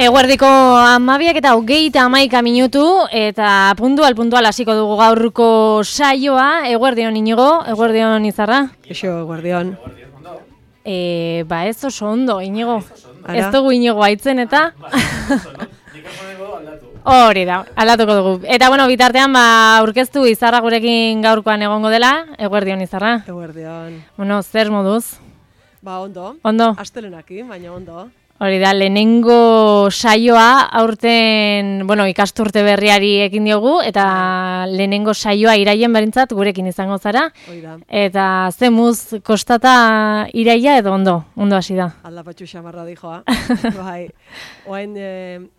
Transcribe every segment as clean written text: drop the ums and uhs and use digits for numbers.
Eguerdiko 12:21 eta puntual hasiko dugu gaurko saioa. Eguerdion Inigo, eguerdion Izarra. Eixo, eguerdion. Ba ez oso ondo, Inigo. Ez dugu Inigo aitzen eta... Hori da, aldatuko dugu. Eta bueno, bitartean aurkeztu Izarra gurekin gaurkoan egongo dela. Eguerdion Izarra. Eguerdion. Bueno, zer moduz? Ondo. Ondo. Astelenakin, baina ondo. Hori da, lehenengo saioa aurten, ikasturte berriari ekin diogu, eta lehenengo saioa iraien berintzat gurekin izango zara. Hori da. Eta zemuz kostata iraia edo ondo hasi da. Aldapatxu xamarra dijoa. Bai, oain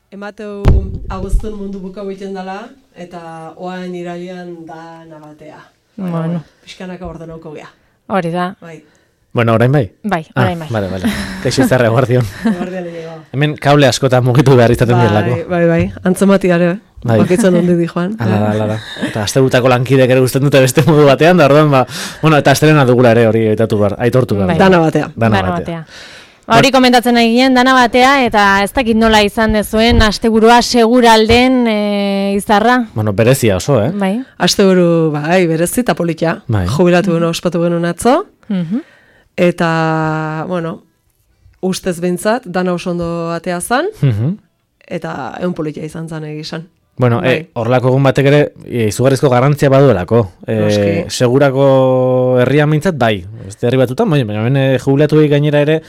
emateu agustun mundu buka egiten dela, eta oain iraian da nabatea. Bueno. Pixkanaka ordenauko gea. Hori da. Bai. Bueno, orain bai? Bai, orain bai. Vale. Kaixo Izarra, eguardion. Eguardion ego. Hemen kable askotan mugitu behar izaten direlako. Bai. Antzematiare, bakitzen ondi di joan. Ala. Eta astegutako lankidek ere guztien dute beste modu batean, da orduan, eta astelena dugula ere hori aitortu behar. Bai. Dana batea. Hori komentatzen nahi ginen, dana batea, eta ez dakit nola izan dezuen, asteburua seguralden Izarra. Bueno, berezia oso, Bai. Asteburu, berezi eta politia. Bai. Jubilatu ospatu genuen atzo. Eta, ustez behintzat, dana oso ondo atea zan, eta egun politia izan zan egizan. Bueno, horrelako egun batek ere, izugarrizko garrantzia baduelako. Segurako herrian mintzat, bai. Beste herri batutan, baina jubilatu gainera ere,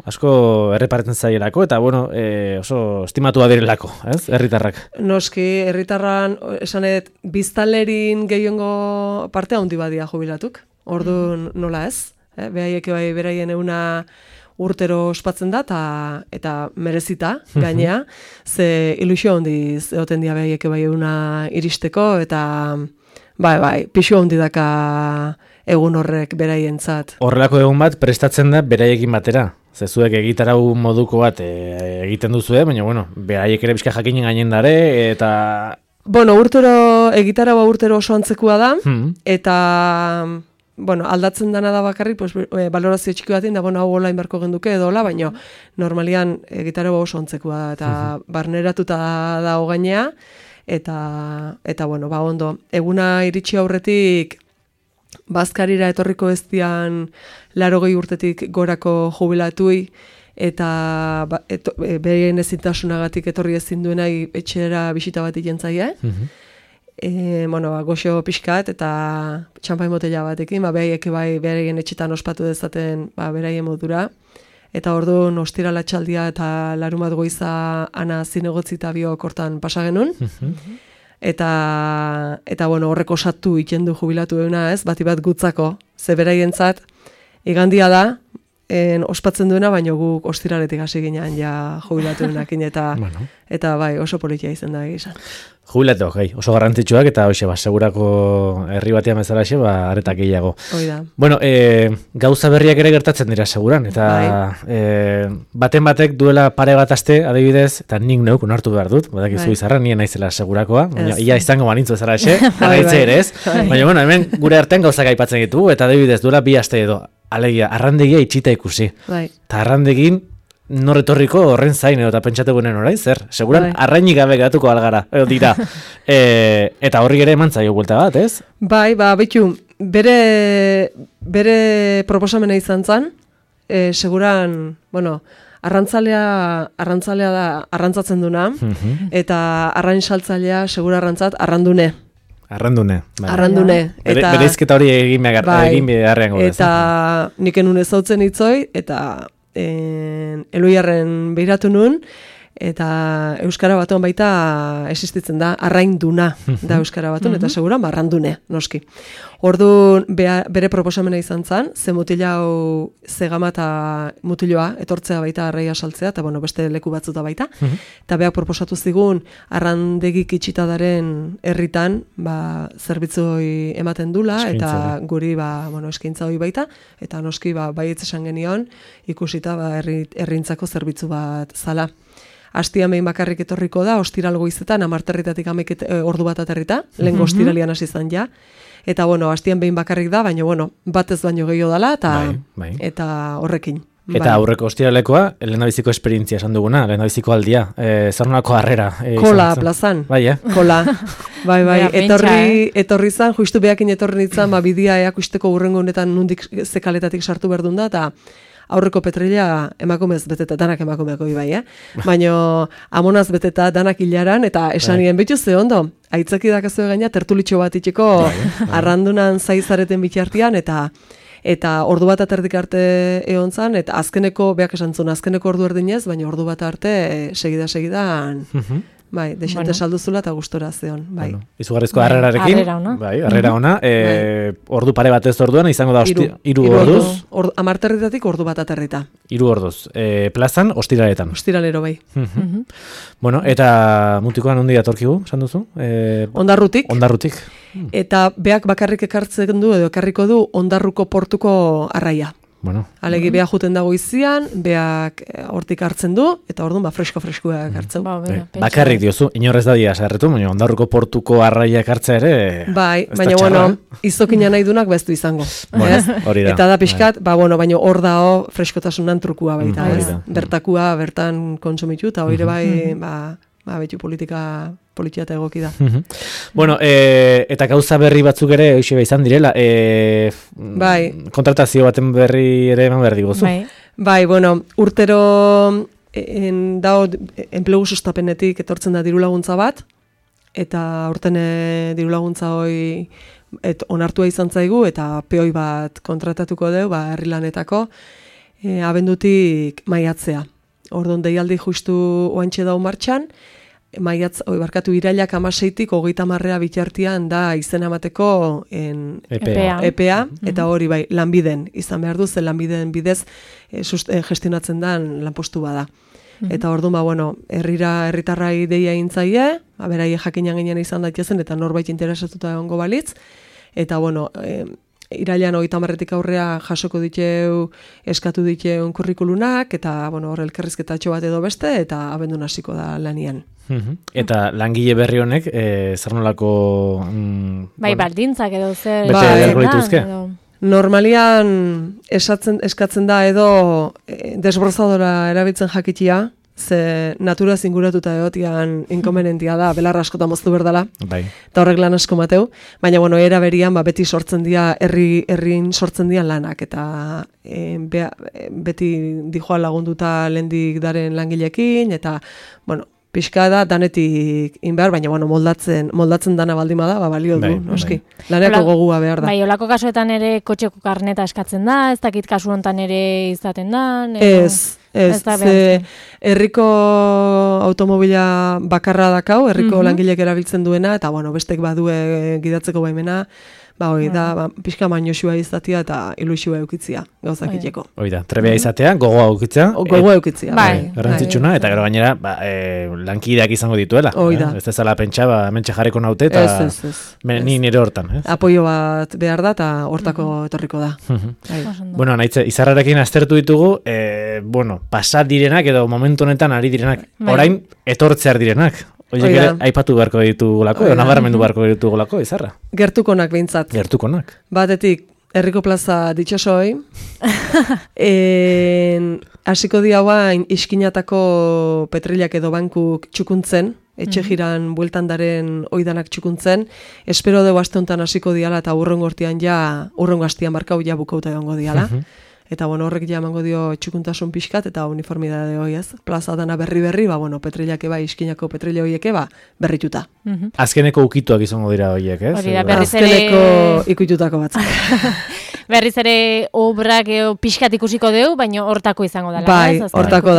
asko erreparetzen zaielako, eta oso estimatua direlako, ez, herritarrak. Noski, herritarran, esanet, biztanlerin gehiengo partea handi badia jubilatuk. Orduan nola ez? Behaiek bai beraien euna urtero ospatzen da, eta merezita, gainea, ze ilusio handiz egoten dia behaiek bai euna iristeko, eta pixu handi daka egun horrek beraientzat. Horrelako egun bat prestatzen da beraiekin batera. Zezuek egitarau moduko bat egiten duzue, baina, beraiek ere bizka jakinen gainen dare, eta... Egitarau urtero oso antzekua da, eta... aldatzen dana da bakarrik, balorazio txiki batin, da, hau hola inbarko genduke edola, baina normalian gitarra oso ontzekua da, eta barneratuta dago gainea, eta ondo. Eguna iritsi aurretik, bazkarira etorriko eztian 80 urtetik gorako jubilatui, eta berien ezintasunagatik etorri ezin duenai etxera bisita bat ikentzaia, goxo pixkat eta txampai motela batekin, behaiek bai beraien etxetan ospatu dezaten beraien modura. Eta orduan ostirala txaldia eta larumat goiza ana zinegotzi eta biok hortan pasa genuen. Eta horrek osatu ikendu jubilatu euna ez, bati bat gutzako, ze beraientzat igandia da, ospatzen duena, baina guk ostiraletik hasi ginean ja jubilatu eunakin, eta oso politia izan da egizan. Jubilatu, oso garrantzitsuak, eta segurako herri batean bezalaxe, aretak gehiago. Oida. Gauza berriak ere gertatzen dira seguran, eta baten batek duela pare bat aste, adibidez, eta nik neuk onartu behar dut, badakizu Izarra, nien naizela segurakoa, ia izango banintzu bezalaxe, naitze ere ez, baina hemen gure artean gauzak aipatzen ditugu, eta adibidez duela bi aste edo, alegia, arrandegia itxita ikusi. Eta arrandegin, norretorriko horren zain, eta pentsatu guenen orain, zer? Seguran, arrainik gabe gatuko algara, edo dira. Eta horri ere eman zaio buelta bat, ez? Betu, bere proposamena izan zen, seguran, arrantzalea da arrantzatzen duna, eta arrain saltzailea segura arrantzat arrandune. Arrandune. Bereizketa hori egin beharrean gode. Eta nik enun ezautzen itzoi, eta Eloiarren behiratu nun, eta Euskara Batuan baita existitzen da, arrainduna da Euskara Batuan, eta seguran arrandune, noski. Orduan bere proposamena izan zen, ze mutilau zegama eta mutiloa, etortzea baita arraia saltzea, eta beste leku batzuta baita, eta beak proposatu zigun, arrandegik itxitadaren herritan, zerbitzoi ematen dula, eta guri, eskaintza hori baita, eta noski, baietz esan genion, ikusita, herrintzako zerbitzu bat zala. Astian behin bakarrik etorriko da, ostiral goizetan, 10:00 ordu bat aterrita, lehen ostiralian hasi izan ja, Eta, astian behin bakarrik da, baina, batez baino gehiago dala, eta horrekin. Eta aurreko ostiralekoa, lehendabiziko esperientzia esan duguna, lehendabiziko aldia, zer nolako harrera. Kola plazan. Bai, Kola. Bai, etorri zan, justu behakin etorri nintzen, bidia eakusteko urrengo honetan nundik zekaletatik sartu berdun da, eta aurreko petrila emakumez beteta, danak emakumeako bai, baina amonaz beteta danak hilaran, eta esanien betu ze ondo, aitzaki dakazu gaina tertulitxo bat itxeko arrandunan zaizareten bitartian, eta ordu bat aterdik arte egon zan, eta azkeneko, beak esan zuen, azkeneko ordu erdinez, baina ordu bat arte segidan, bai, desente salduzula eta gustora zeon, bai. Bueno, izugarrizko harrerarekin, harrera ona, ordu pare batez orduan, izango da 3 orduz. Amarterritatik ordu bat aterrita. 3 orduz. Plazan, ostiraletan. Ostiralero, bai. Bueno, eta mutikoan ondi datorkigu, esan duzu? Ondarrutik. Ondarrutik. Eta beak bakarrik ekartzen du, edo ekarriko du Ondarruko portuko arraia. Bueno. Alegi beak juten dago izian, beak hortik hartzen du, eta orduan fresko-freskoa hartzen. Bakarrik diozu, inorrez da dia sarretu, baina Ondarruko portuko arraia hartzea ere... Bai, baina izokina nahi dunak bestu izango. Hori da. Eta da pixkat, baina hor dao freskotasunan trukua baita, bertakua bertan kontsumitu, eta hori bai, betu politia eta egoki da. Bueno, eta gauza berri batzuk ere hoxe izan direla, kontratazio baten berri ere eman behar digozu. Bai, urtero dao enplegu sustapenetik etortzen da diru laguntza bat, eta aurten diru laguntza hoi onartua izan zaigu, eta peoi bat kontratatuko deu, herri lanetako, abendutik maiatzea. Orduan deialdi justu oantxe dau martxan, irailak 16tik 30 bitartian da izena emateko EPEA, eta hori bai, lanbiden izan behar du, ze lanbiden bidez gestionatzen den lanpostu bada. Eta orduan, herritarrai deia intzaie, berai jakinan ginen izan daitezen, eta norbait interesatuta egongo balitz, eta irailean 30tik aurrea jasoko diteu, eskatu diteu kurrikulunak, eta hor elkarrizketatxo bat edo beste, eta abendun hasiko da lanian. Eta langile berri honek, zer nolako... Bai, baldintzak edo zer... Bete beharko dituzke? Normalian eskatzen da edo desbrozadora erabiltzen jakitia, ze naturaz inguratuta egotian inkonvenientia da, belar askota moztu berdala, eta horrek lan asko mateu, baina era berian beti sortzen dira, herrin sortzen dira lanak, eta beti dijoa lagunduta lehendik daren langilekin, eta, pixka da danetik inbehar, baina moldatzen dana baldima da, balio du, noski. Laneko gogua behar da. Bai, olako kasuetan ere kotxeko karneta eskatzen da, ez dakit kasu honetan ere izaten da? Ez, herriko automobila bakarra dakau, herriko langilek erabiltzen duena, eta bestek badue gidatzeko baimena, hori da, pixka mainosua izatea eta ilusua eukitzia, gauzak iteko. Hori da, trebea izatea, gogoa eukitzea. Gogoa eukitzea. Garrantzitsuna, eta gero gainera, lankideak izango dituela. Hori da. Ez dezala pentsa, mentxe jarriko naute, eta ni nire hortan. Apoio bat behar da, eta hortako etorriko da. Bueno, naitze, izarrarekin aztertu ditugu, pasat direnak, edo momentu honetan ari direnak, orain etortzear direnak. Oiek ere, aipatu beharko ditugulako, edo nabarmendu beharko ditugulako, izarra? Gertukonak behintzat. Gertukonak. Batetik, herriko plaza ditxosoi, hasiko diauain iskinatako petrilak edo bankuk txukuntzen, etxe jiran bueltan daren oidanak txukuntzen, espero dugu aste honetan hasiko diala eta urrengo hastian markau ja bukauta egongo diala. Eta horrek ja emango dio txukuntasun pixkat eta uniformidade hoi ez. Plaza dana berri, petrilak eba, iskinako petrila horiek eba, berrituta. Azkeneko ukituak izango dira horiek, ez? Azkeneko ikututako batzuk. Berriz ere obrak pixkat ikusiko deu, baina hortako izango dela. Bai, hortako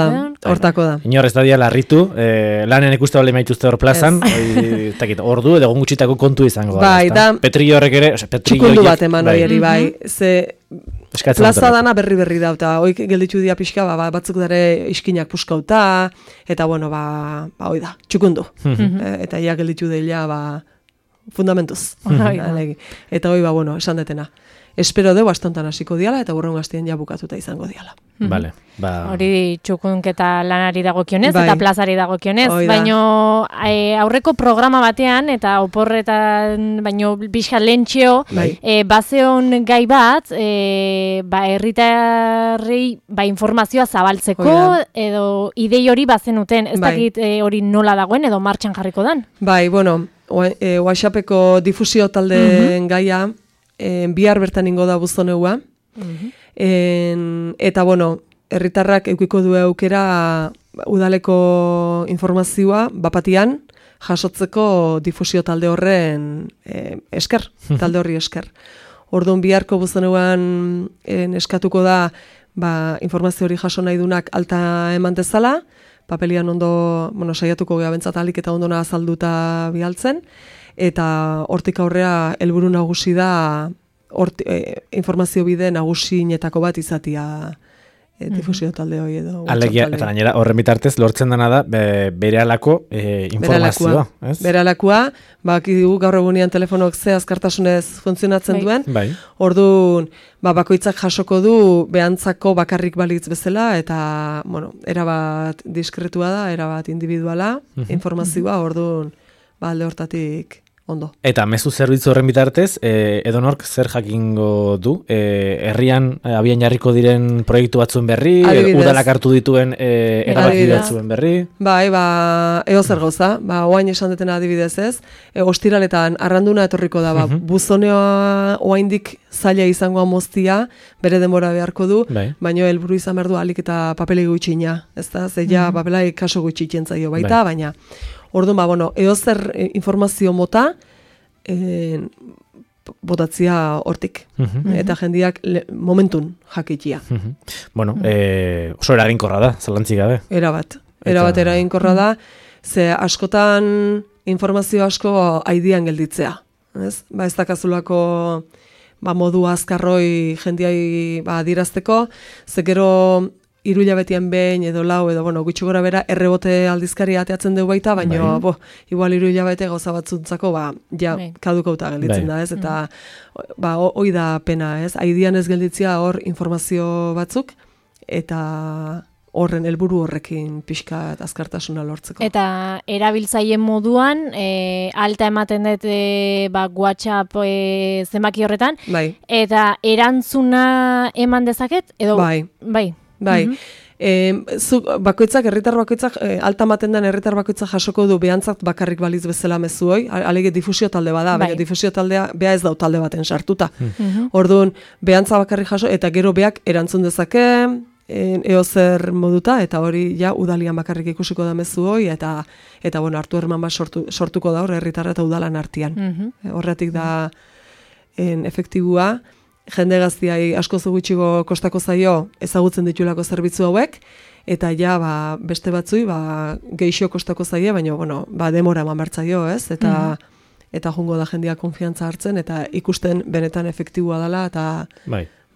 da. Inorrez da dia larritu, lanen ikuste bale maituzte hor plazan, ordu edo gutxitako kontu izango da. Bai, da. Petrillo horrek ere, txukundu bat eman hori bai. Plaza dana berri da, eta hoik gelditu dia pixka, batzuk dare iskinak puskauta, eta hoi da, txukundu. Eta ja gelditu deila, fundamentuz. Eta hoi, bueno, esan detena. Espero dugu astontan hasiko diala, eta burrun gaztien ja bukatuta izango diala. Vale, hori txukunketa lanari dagokionez, eta plazari dagokionez, baino aurreko programa batean, eta oporretan, baino pixka lentxeo, bazeon gai bat, herritarrei informazioa zabaltzeko, edo idei hori bazenuten, ez dakit hori nola dagoen, edo martxan jarriko dan? Bai, bueno, WhatsAppeko difusio taldeen gaia, bihar bertan ingo da Buzoneua, eta, bueno, herritarrak eukiko du aukera udaleko informazioa bapatian jasotzeko difusio talde horren esker, talde horri esker. Orduan biharko Buzoneuan eskatuko da informazio hori jaso nahi dunak alta eman dezala, papelian ondo, bueno, saiatuko gea bentsat alik eta ondona azalduta bialtzen, eta hortik aurrea helburu nagusi da informazio bide nagusienetako bat izatia difusio talde hori edo. Alegia, eta gainera horren bitartez lortzen dena da berehalako informazioa. Berehalakua, bakigu gaur egunean telefonok ze azkartasunez funtzionatzen duen, orduan bakoitzak jasoko du behantzako bakarrik balitz bezala, eta, bueno, erabat diskretua da, erabat individuala, informazioa, orduan, alde hortatik ondo. Eta mezu zerbitzu horren bitartez, edonork zer jakingo du? Herrian abian jarriko diren proiektu batzuen berri, udalak hartu dituen erabaki batzuen berri? Bai, eo zer gauza, oain esan detena adibidez ez, ostiraletan arranduna etorriko da, Buzoneoa oaindik zaila izangoa moztia, bere denbora beharko du, baina helburu izan behar du alik eta papelei gutxina, ez da, zeia papelai kaso gutxitzen zaio baita, baina orduan, bueno, edozer informazio mota botatzia hortik. Eta jendiak momentun jakitia. Bueno, oso eraginkorra da, zalantzik gabe. Erabat eraginkorra da, ze askotan informazio asko aidian gelditzea. Ez dakazulako modu azkarroi jendiai adirazteko, ze gero 3 hilabetian behin edo 4 edo, bueno, gutxi gora bera errebote aldizkaria ateatzen dugu baita, baina, igual 3 hilabete gauza batzuntzako, kadukauta gelditzen da, ez? Eta, hoi da pena, ez? Aidian ez gelditzia hor informazio batzuk, eta horren helburu horrekin pixka azkartasuna lortzeko. Eta erabiltzaile moduan, alta ematen dut WhatsApp zenbaki horretan, eta erantzuna eman dezaket, edo? Bai, herritar bakoitzak, alta maten den herritar bakoitzak jasoko du behantzat bakarrik baliz bezala mezuoi, alege difusio talde bada, baina difusio taldea bea ez dau talde baten sartuta. Orduan, behantza bakarrik jaso, eta gero beak erantzun dezake, eozer moduta, eta hori ja udalian bakarrik ikusiko da mezuoi, eta bueno, hartu herman bat sortuko da hor herritarra eta udalan artean. Horretik da efektibua, jende gaztiai asko gutxigo kostako zaio ezagutzen ditulako zerbitzu hauek, eta ja beste batzui geixo kostako zaie, baina bueno, demora eman bertzaio, ez? Eta jungo da jendia konfiantza hartzen, eta ikusten benetan efektibua dela, eta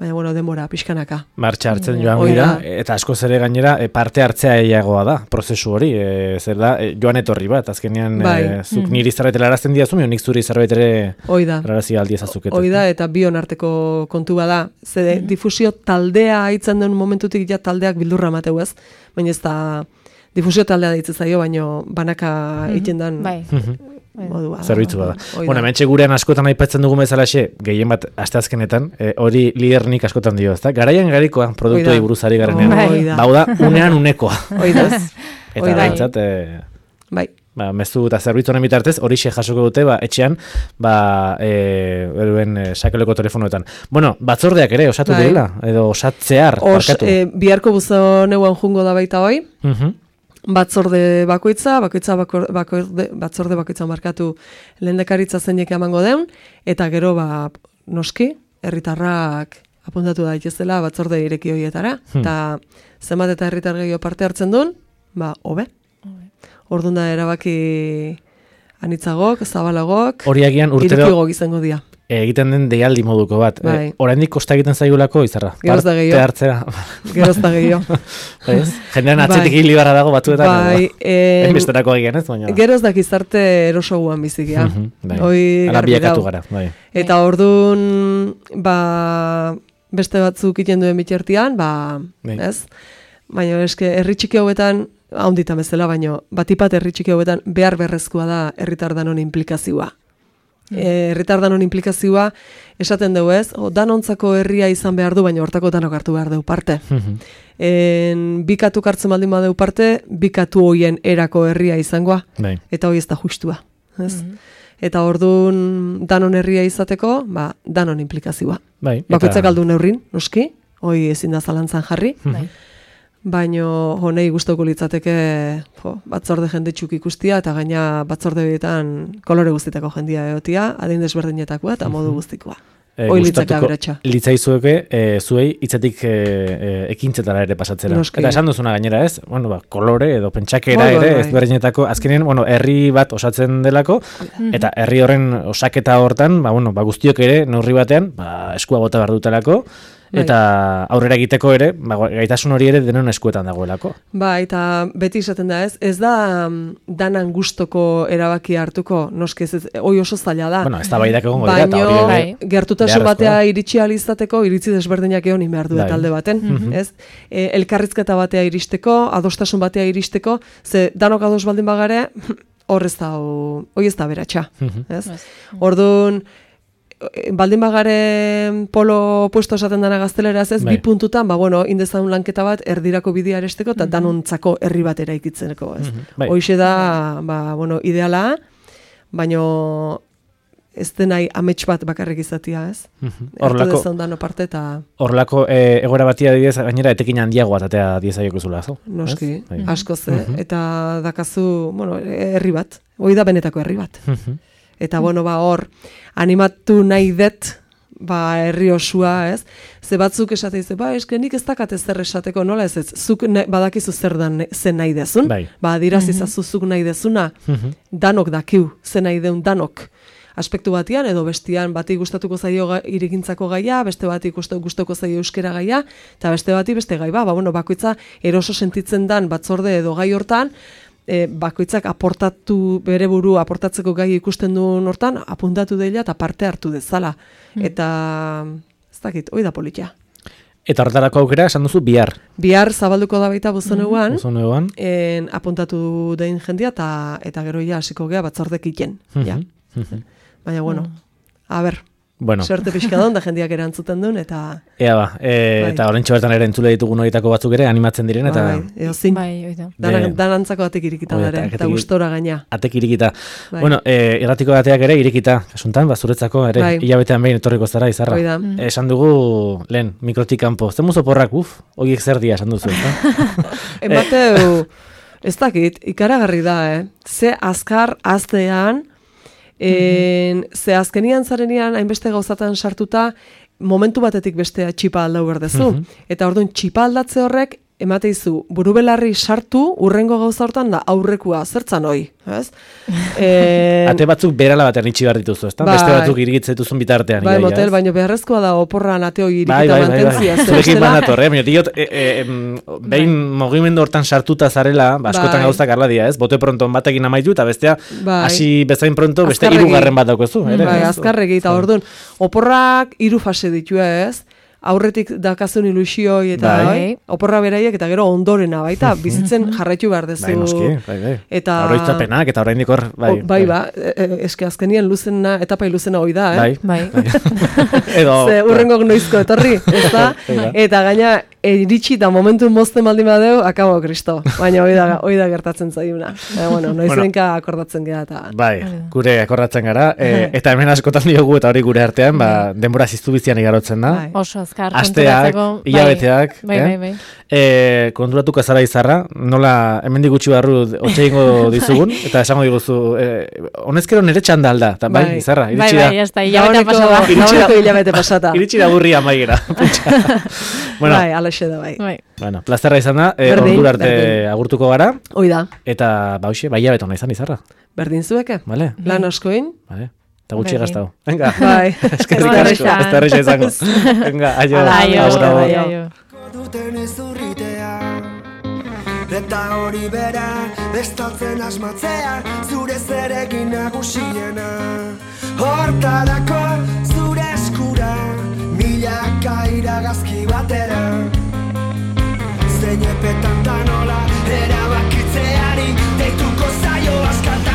baina, bueno, demora, pixkanaka. Martxa hartzen joan dira, eta asko zere gainera parte hartzea eiagoa da, prozesu hori, zer da, joan etorri bat, azkenean zuk niri zerbait helarazten diazu, nik zuri zerbait ere helarazi aldi ezazukete. Hoi da, eta bion arteko kontu bada, ze difusio taldea haitzen den momentutik ja taldeak bildurra mateu ez, baina ez da difusio taldea ditzen zaio, baina banaka egiten den modua. Zerbitzu bada. Bueno, hementxe gurean askotan aipatzen dugu bezalaxe, gehien bat asteazkenetan, hori lidernik askotan dio, ezta? Garaian garikoa, produktuei buruzari garenean. Bauda, unean unekoa. Eta gaintzat, mezu eta zerbitzu honen bitartez, hori jasoko dute, etxean, sakeleko telefonoetan. Bueno, batzordeak ere, osatu direla, edo osatzear, parkatu. Biharko Buzoneuan jungo da baita hoi, batzorde bakoitza markatu lehendakaritza zeinek emango den, eta gero noski, herritarrak apuntatu daitezela batzorde ireki horietara, eta zenbat eta herritar gehiago parte hartzen duen, hobe. Orduan da erabaki anitzagok, zabalagok, hori agian irekigok izango dira. egiten den deialdi moduko bat. Oraindik kosta egiten zaigulako Izarra. Geroz da gehiago. Geroz da gehiago. Jendean atzetik hili barra dago batuetan. Enbesterako egin ez, baina. Geroz da gizarte erosoguan bizikia. Ala biakatu gara. Eta orduan, beste batzuk iten duen bitxertian, ez? Baina eske herri txiki hauetan, haunditan bezala, baina batipat herri txiki hauetan behar berrezkoa da herritar danon implikazioa. Herritar danon implikazioa esaten dugu ez, danontzako herria izan behar du, baina hortako danok hartu behar du parte. Bikatu hartzen baldin badeu parte, bikatu hoien erako herria izangoa, eta hoi ez da justua. Eta orduan danon herria izateko, danon implikazioa. Bakoitzak aldu neurrin, noski, hoi ezin da zalantzan jarri, baina honei gustoko litzateke batzorde jendetxuk ikustia, eta gaina batzorde bietan kolore guztitako jendia egotia, adin desberdinetakoa eta modu guztikoa. Hoi litzaka beratxa. Litzaizueke, zuei hitzetik ekintzetara ere pasatzera. Eta esan duzuna gainera ez, kolore edo pentsakera ere, ez berdinetako, azkenean, herri bat osatzen delako, eta herri horren osaketa hortan, guztiok ere, neurri batean, eskua bota behar dutelako, eta aurrera egiteko ere, gaitasun hori ere denon eskuetan dagoelako. Eta beti izaten da ez da danan gustoko erabaki hartuko, noski ez, hoi oso zaila da. Ez da baidak egongo dira, eta hori ere. Gertutasun batea iritsi alizateko, iritzi desberdinak egon behar du talde baten. Elkarrizketa batea iristeko, adostasun batea iristeko, ze danok ados baldin bagare, hori ez da beratxa. Orduan, baldin bagare polo puesto esaten dana gazteleraz ez, bi puntutan, indezan lanketa bat erdirako bidea aresteko, eta danontzako herri bat eraikitzeneko, ez. Hoixe da, ideala, baina ez denai amets bat bakarrik izatea, ez. Ertu dezan dano parte, eta... Horrelako egoera batia didez, gainera etekin handiagoa atatea diezaioko zula, zo? Noski, asko ze, eta dakazu, herri bat, hoi da benetako herri bat. Eta hor, animatu nahi dut, herri osua, ez? Ze batzuk esate dize, eske nik ez dakat ezer esateko, nola ez? Zuk badakizu zen nahi dezun, dirazizazu zuk nahi dezuna, danok dakiu, zen nahi deun danok. Aspektu batian, edo bestian, bati gustatuko zaio irigintzako gaia, beste bati gustatuko zaio euskera gaia, eta beste bati beste gai, bakoitza eroso sentitzen dan batzorde edo gai hortan, bakoitzak bere buru aportatzeko gai ikusten duen hortan, apuntatu dela eta parte hartu dezala. Eta, ez dakit, hoi da politia. Eta horretarako aukera, esan duzu, bihar. Bihar zabalduko da baita Buzoneuan, apuntatu dein jendia, eta gero hasiko gea batzordek iten. Baina, suerte pixka da jendiak erantzuten duen, eta... eta horrentxo bertan ere entzule ditugun horietako batzuk ere animatzen diren, eta... Danantzako atek irikita dara, eta gustora gaina. Atek irikita. Irratiko bateak ere irikita, kasuntan, zuretzako, ere, hilabetean behin etorriko zara, Izarra. Esan dugu, lehen, mikrotik kanpo. Zemuz oporrak, horiek zer dia, esan duzu. Emateu, ez dakit, ikaragarri da, ze azkar aztean, ze azkenian zarenean hainbeste gauzatan sartuta momentu batetik bestea txipa aldau berdezu. Eta orduan txipa aldatze horrek emateizu burubelarri sartu urrengo gauza hortan da aurrekua zertzan hoi, ez? Ate batzuk berala batean itxi behar dituzu, ezta? Beste batzuk irigitzatuzun bitartean. Motel, baina beharrezkoa da oporran ate hoi irigita mantentzia. Zurekin banator, diot, behin mugimendu hortan sartuta zarela, askotan gauzak arladia, ez? Bote pronto batekin amaitu, eta bestea, hasi bezain pronto, beste hirugarren bat daukezu. Azkarregi, eta orduan, oporrak 3 fase ditu, ez? Aurretik dakazun ilusioi eta oporra beraiek eta gero ondorena baita bizitzen jarraitu behar dezu. Eta oroitzapenak eta oraindik hor eske azkenien luzena etapai luzena hoi da, Edo urrengok noizko etorri, ezta? Eta gaina iritsi da momentu mozten baldin badeu, akabo Kristo. Baina hoi da gertatzen zaiuna. Noizenka akordatzen gara eta gure akordatzen gara eta hemen askotan diogu eta hori gure artean, denbora ziztu bizian igarotzen da. Asteak, hilabeteak, konturatuko zara Izarra, nola hemendik gutxi barru otxe ingo dizugun, eta esango diguzu, honezkero nire txanda alda, eta Izarra, hilabete pasata. Iritsi da burria maigera. Alaxe da plazerra izan da, ordu arte agurtuko gara. Hoi da. Eta hilabete hona izan Izarra. Berdin zueke, lan askoin. eta gutxi gaztau. Venga, eskerrik izango. Venga, aio. Eta hori bera, bestaltzen asmatzea, zure zerekin nagusiena. Hortarako zure eskura, milaka iragazki batera. Zein epetan da nola, erabakitzeari, deituko zaio askata.